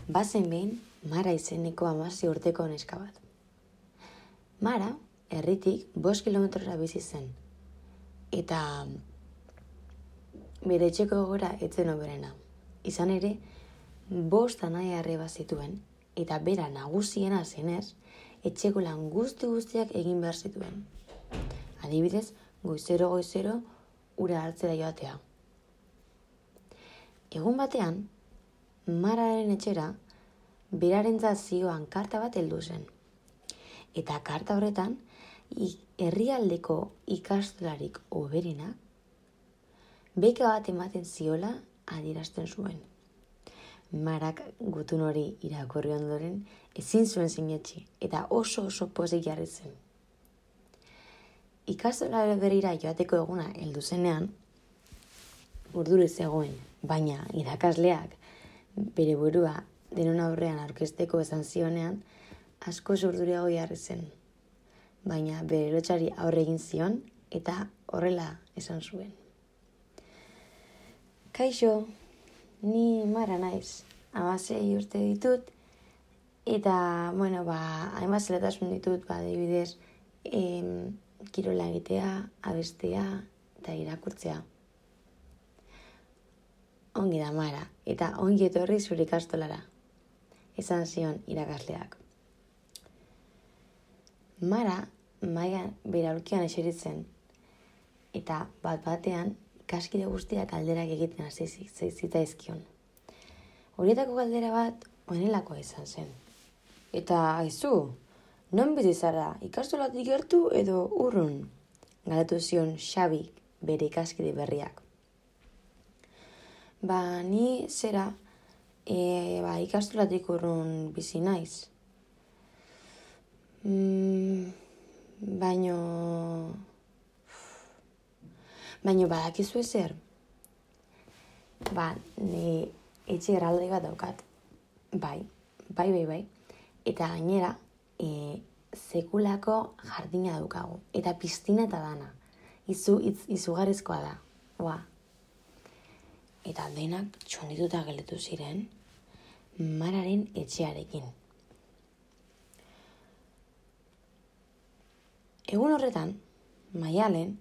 Bazen behin Mara izeneko 16 urteko neska bat. Mara, herritik 5 kilometrora bizi zen. Eta bere etxeko gora etzen oberena. Izan ere, 5 anai-arreba zituen, eta bera nagusiena zenez, etxeko lan guztiak egin behar zituen. Adibidez, goizero ura hartzera joatea. Egun batean, Mararen etxera, berarentzat zioan karta bat heldu zen. Eta karta horretan, herrialdeko ikastolarik hoberenak, beka bat ematen ziola adierazten zuen. Marak gutun hori irakurri ondoren ezin zuen sinetsi eta oso pozik jarri zen. Ikastola berrira joateko eguna heldu zenean, urduri zegoen, baina irakasleak bere burua denon aurrean aurkezteko esan zionean, asko urduriago jarri zen. Baina bere lotsari aurre egin zion eta horrela esan zuen. Kaixo, ni Mara naiz, 16 urte ditut, eta, hainbat zelatasun ditut, adibidez, kirola egitea, abestea eta irakurtzea. Ongi da Mara, eta ongi etorri zure ikastolara, esan zion irakasleak. Mara mailan bere aulkian eseritzen, eta bat-batean ikaskide guztiak galderak egiten hasi zitzaizkion. Horietako galdera bat honelakoa izan zen. Eta aizu, non bizi zara, ikastolatik gertu edo urrun? Galdetu zion Xabi bere ikaskide berriak. Ni zera, ikastolatik urrun bizi naiz. Baino badakizu ezer? Ni etxe erraldoi bat daukat. Bai. Eta gainera, sekulako jardina daukagu. Eta piztina eta dana. Izugarrizkoa da. Eta denak txondituta gelditu ziren Mararen etxearekin. Egun horretan, Maialen,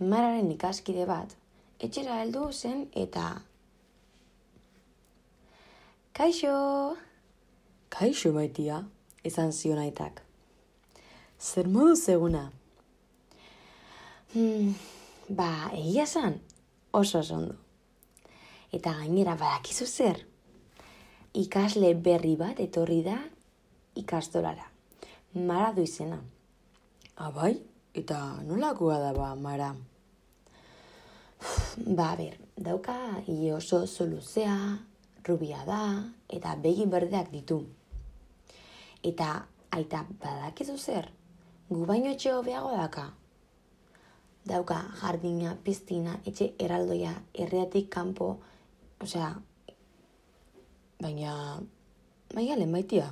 Mararen ikaskide bat, etxera heldu zen eta... Kaixo maitia, esan zion aitak. Zer moduz eguna? Egia zan, oso ondo. Eta gainera badakizu zer? Ikasle berri bat etorri da ikastolara. Mara du izena. Bai? Eta nolakoa da Mara? Dauka ile oso luzea, rubia da, eta begi berdeak ditu. Eta aita badakizu zer? Gu baino etxe hobeago daka. Dauka jardina, piztina, etxe erraldoia, herriatik kanpo, baina Maialen maitia,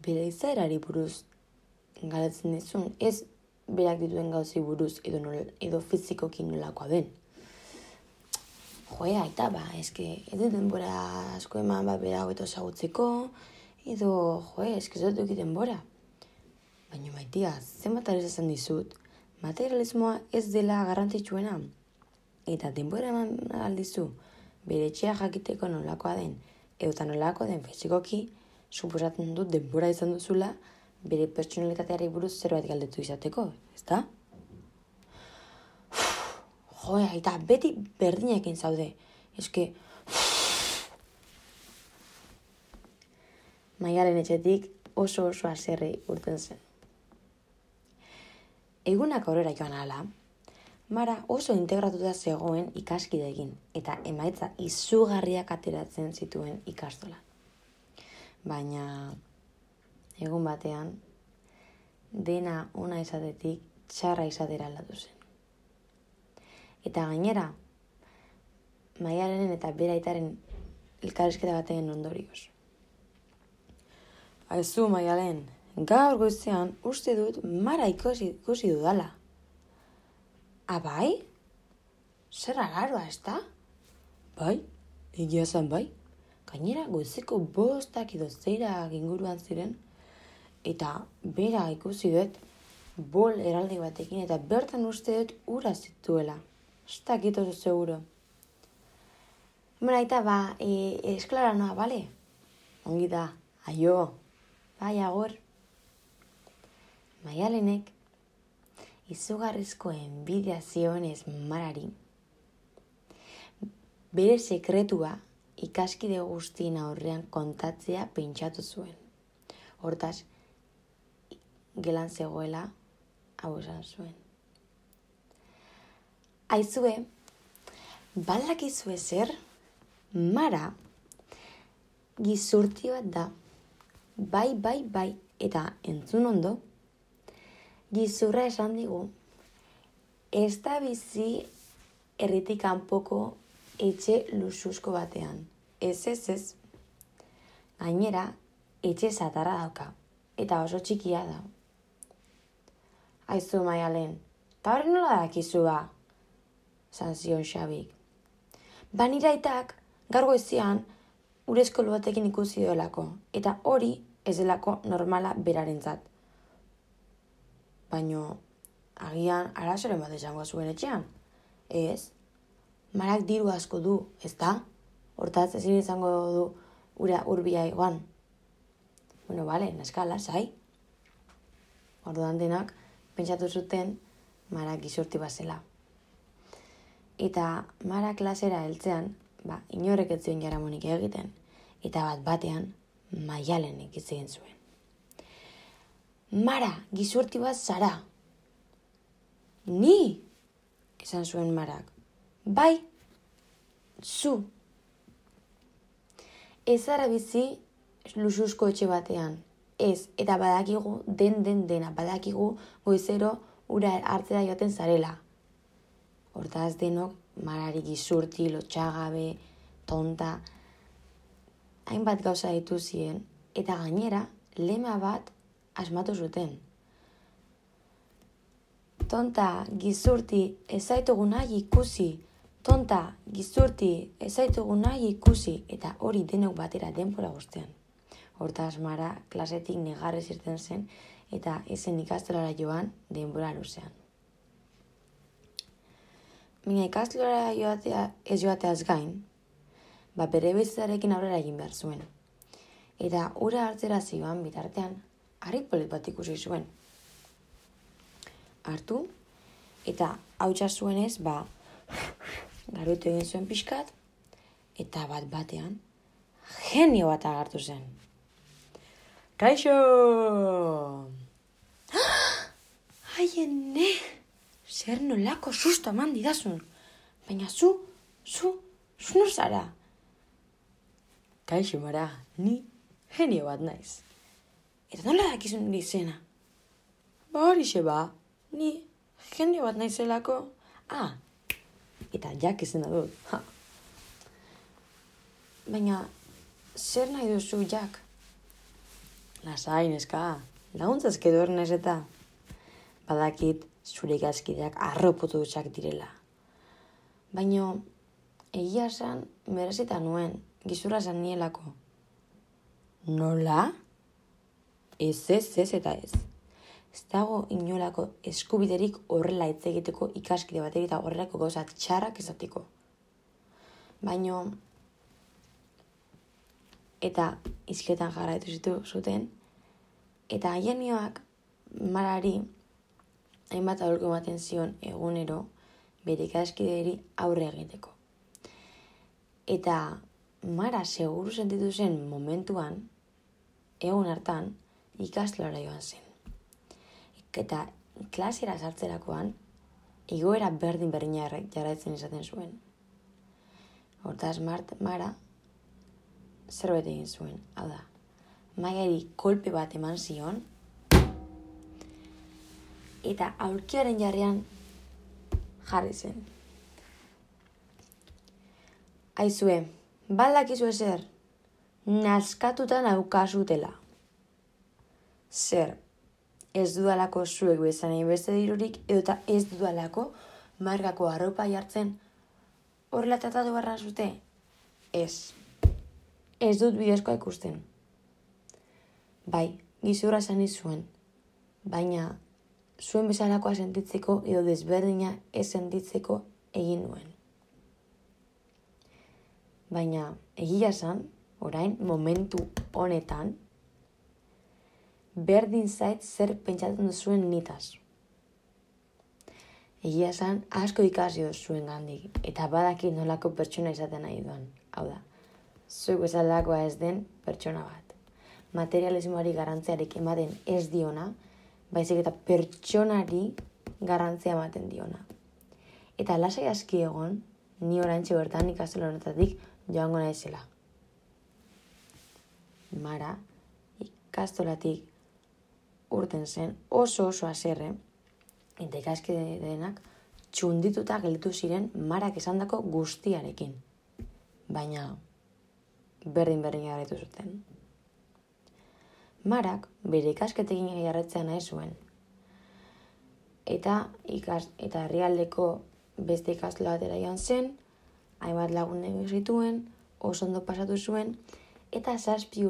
bere izaerari buruz galetzen dizun, ez berak dituen gauzi buruz edo fizikoki nolakoa den. Aita, eske, ez dut denbora asko eman bera hobeto ezagutzeko, edo, eske ez dut duki denbora. Baina maitia, zenbat esan dizut, materialismoa ez dela garrantzitsuena. Eta denbora eman aldizu, bere etxea jakiteko nolakoa den, eta nolako den fizikoki, suposatzen dut denbora izan duzula, bere pertsonalitateari buruz zerbait galdetu izateko, ezta? Aita, beti berdinekin zaude. Eske... Maialen etxetik oso haserre urten zen. Egunak aurrera joan ahala, Mara oso integratuta zegoen ikaskideekin eta emaitza izugarriak ateratzen zituen ikastola. Baina egun batean dena ona izatetik txarra izatera aldatu zen. Eta gainera, Maialenen eta bere aitaren elkarrizketa baten ondorioz. Aizu, Maialen, gaur goizean uste dut Mara ikusi dudala. Bai? Zer rararoa, ezta? Bai, egia zan bai. Gainera, goizeko 5 edo 6 inguruan ziren, eta bera ikusi dut, bol eraldi batekin, eta bertan uste dut ura zituela. Ez dakit oso seguro. Aita, esklara noa, bale? Ongi da, aio, bai agor. Maialenek izugarrizko enbidia zionez Marari, bere sekretua ikaskide guztien aurrean kontatzea pentsatu zuen. Hortaz, gelan zegoela hau esan zuen. Aizue, balakizue zer, Mara gizurti bat da. Bai, eta entzun ondo, gizurra esan digu, ez da bizi herritik kanpoko etxe luxuzko batean. Ez. Gainera, etxe zatarra dauka, eta oso txikia da. Aizu, Maialen, eta hori nola dakizua? Zan zion Xabik. Nire aitak, gaur goizian, urezko batekin ikusi duelako, eta hori ez delako normala berarentzat. Baina, agian arazoren bat esango zuen etxean. Ez, Marak diru asko du, ez da? Hortaz ezin izango du ura urbia egoan. Bueno, bale, naskala, zai. Orduan denak, pentsatu zuten Marak gizurti bazela. Eta Mara klasera heltzean, inorek ez zuen jaramonik egiten, eta batean Maialenek hitz egin zuen. Mara, gizurti bat zara. Ni, esan zuen Marak. Bai, zu. Ez zara bizi luxuzko etxe batean. Ez, eta badakigu dena, badakigu goizero ura hartzera joaten zarela. Hortaz denok, Marari gizurti, lotxagabe, tonta, hainbat gauza ditu ziren, eta gainera, lema bat asmatu zuten. Tonta, gizurti, ez zaitugu nahi ikusi. Tonta, gizurti, ez zaitugu nahi ikusi. Eta hori denok batera denbora guztian. Hortaz Mara klasetik negarrez irten zen, eta ezen ikastolara joan denbora luzean. Baina ikastolara ez joateaz gain, bere bizitzarekin aurrera egin behar zuen. Eta ura hartzera zioan bitartean, harri polit bat ikusi zuen. Hartu, eta hautsa zuenez, garutu egin zuen pixkat, eta batean, genio bat agertu zen. Kaixo! Aiene! Zer nolako susto eman didazun. Baina zu nor zara? Kaixo, Mara, ni genio bat naiz. Eta nola dakizun izena? Horixe ni genio bat naizelako. Eta jak izena dut. Baina, zer nahi duzu jak? Lasai, neska, laguntzazke duernez eta badakit zure ikaskideak arropotu dutxak direla. Baina, egia esan merezita nuen, gizurra esan nielako. Nola? Ez eta ez. Ez dago inolako eskubiderik horrela hitz egiteko ikaskide batek eta horrelako gauza txarrak ezatiko. Baina, eta izketan jarraitu zuten, eta haienioak Marari hainbat aholku ematen zion egunero bere ikaskideri aurre egiteko. Eta Mara seguru sentitu zen momentuan, egun hartan, ikastolara joan zen. Eta klasera sartzerakoan, igoera berdina jarraitzen izaten zuen. Hortaz Mara zerbait egin zuen, hau da. Maiari kolpe bat eman zion, eta aulkiaren jarrean jarri zen. Aizue, baldakizu ezer, naskatuta naukazutela. Zer, ez dudalako zuek bezanei beste dirurik, edota ez dudalako markako arropa jartzen horrela tratatu barra zute? Ez. ez dut bideozkoa ikusten. Bai, gizurra esan zuen, baina zuen bezalakoa sentitzeko edo desberdina ez sentitzeko egin nuen. Baina egia esan, orain, momentu honetan, berdin zait zer pentsatzen duzuen nitaz. Egia esan, asko ikasi duzuen gandik, eta badaki nolako pertsona izaten nahi duan. Hau da, zuek bezalakoa ez den pertsona bat. Materialismoari garrantziarik ematen ez diona, baizik eta pertsonari garrantzia ematen diona. Eta lasai aski egon, ni oraintxe bertan ikastolo honetatik joango naizela. Mara, ikastolatik urten zen, oso haserre, eta ikaskide denak txundituta gelditu ziren Marak esandako guztiarekin. Baina, berdin jarraitu zuten. Marak bere ikasketekin jarraitzea nahi zuen. Eta herrialdeko beste ikastola batera joan zen, hainbat lagun egin zituen, oso ondo pasatu zuen, eta 7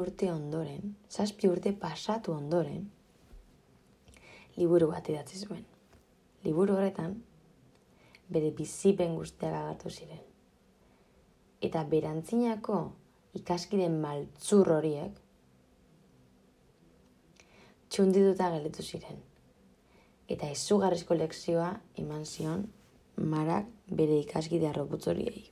urte pasatu ondoren, liburu bat idatzi zuen. Liburu horretan, bere bizipen guztiak agertu ziren. Eta berantzinako ikaskide maltzur horiek, txundituta gelditu ziren. Eta izugarrizko lekzioa eman zion Marak bere ikaskide harroputz horiei.